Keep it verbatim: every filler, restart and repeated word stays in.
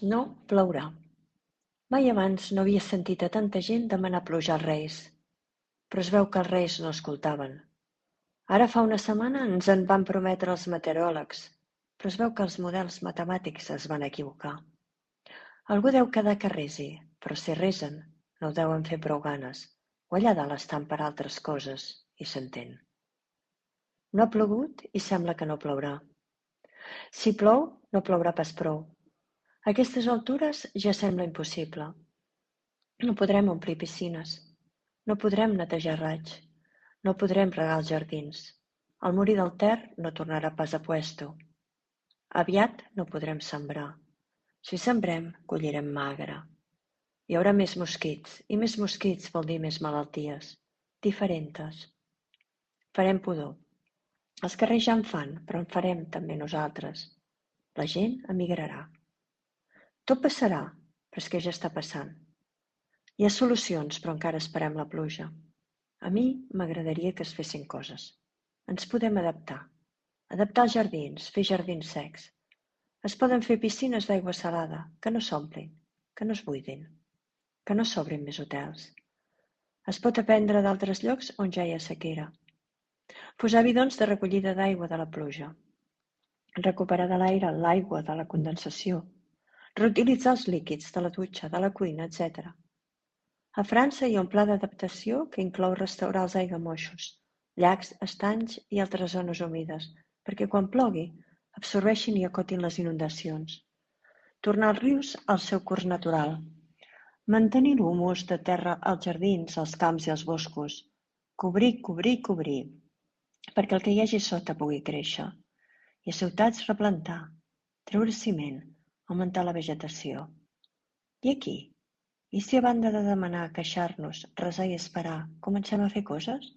No plourà. Mai abans no havia sentit a tanta gent demanar pluja als Reis, però es veu que els Reis no escoltaven. Ara fa una setmana ens en van prometre els meteoròlegs, però es veu que els models matemàtics es van equivocar. Algú deu quedar que resi, però si resen, no ho deuen fer prou ganes, o allà dalt estan per altres coses, i s'entén. No ha plogut i sembla que no plourà. Si plou, no plourà pas prou. A aquestes altures ja sembla impossible. No podrem omplir piscines, no podrem netejar raigs, no podrem regar els jardins. El Molí del Ter no tornarà pas a puesto. Aviat no podrem sembrar. Si sembrem, collirem magre. Hi haurà més mosquits, i més mosquits vol dir més malalties, diferentes. Farem pudor. Els carrers ja en fan, però en farem també nosaltres. La gent emigrarà. Tot passarà, però és que ja està passant. Hi ha solucions, però encara esperem la pluja. A mi m'agradaria que es fessin coses. Ens podem adaptar. Adaptar els jardins, fer jardins secs. Es poden fer piscines d'aigua salada, que no s'omplin, que no es buidin, que no s'obrin més hotels. Es pot aprendre d'altres llocs on ja hi ha sequera. Posar bidons de recollida d'aigua de la pluja. Recuperar de l'aire l'aigua de la condensació. Reutilitzar els líquids de la dutxa, de la cuina, etcètera. A França hi ha un pla d'adaptació que inclou restaurar els aiguamolls, llacs, estanys i altres zones humides, perquè quan plogui absorbeixin i acotin les inundacions. Tornar els rius al seu curs natural. Mantenir l'humus de terra als jardins, als camps i als boscos. Cobrir, cobrir, cobrir, perquè el que hi hagi sota pugui créixer. I a ciutats replantar, treure ciment, augmentar la vegetació. I aquí? I si a banda de demanar, queixar-nos, resar i esperar, comencem a fer coses?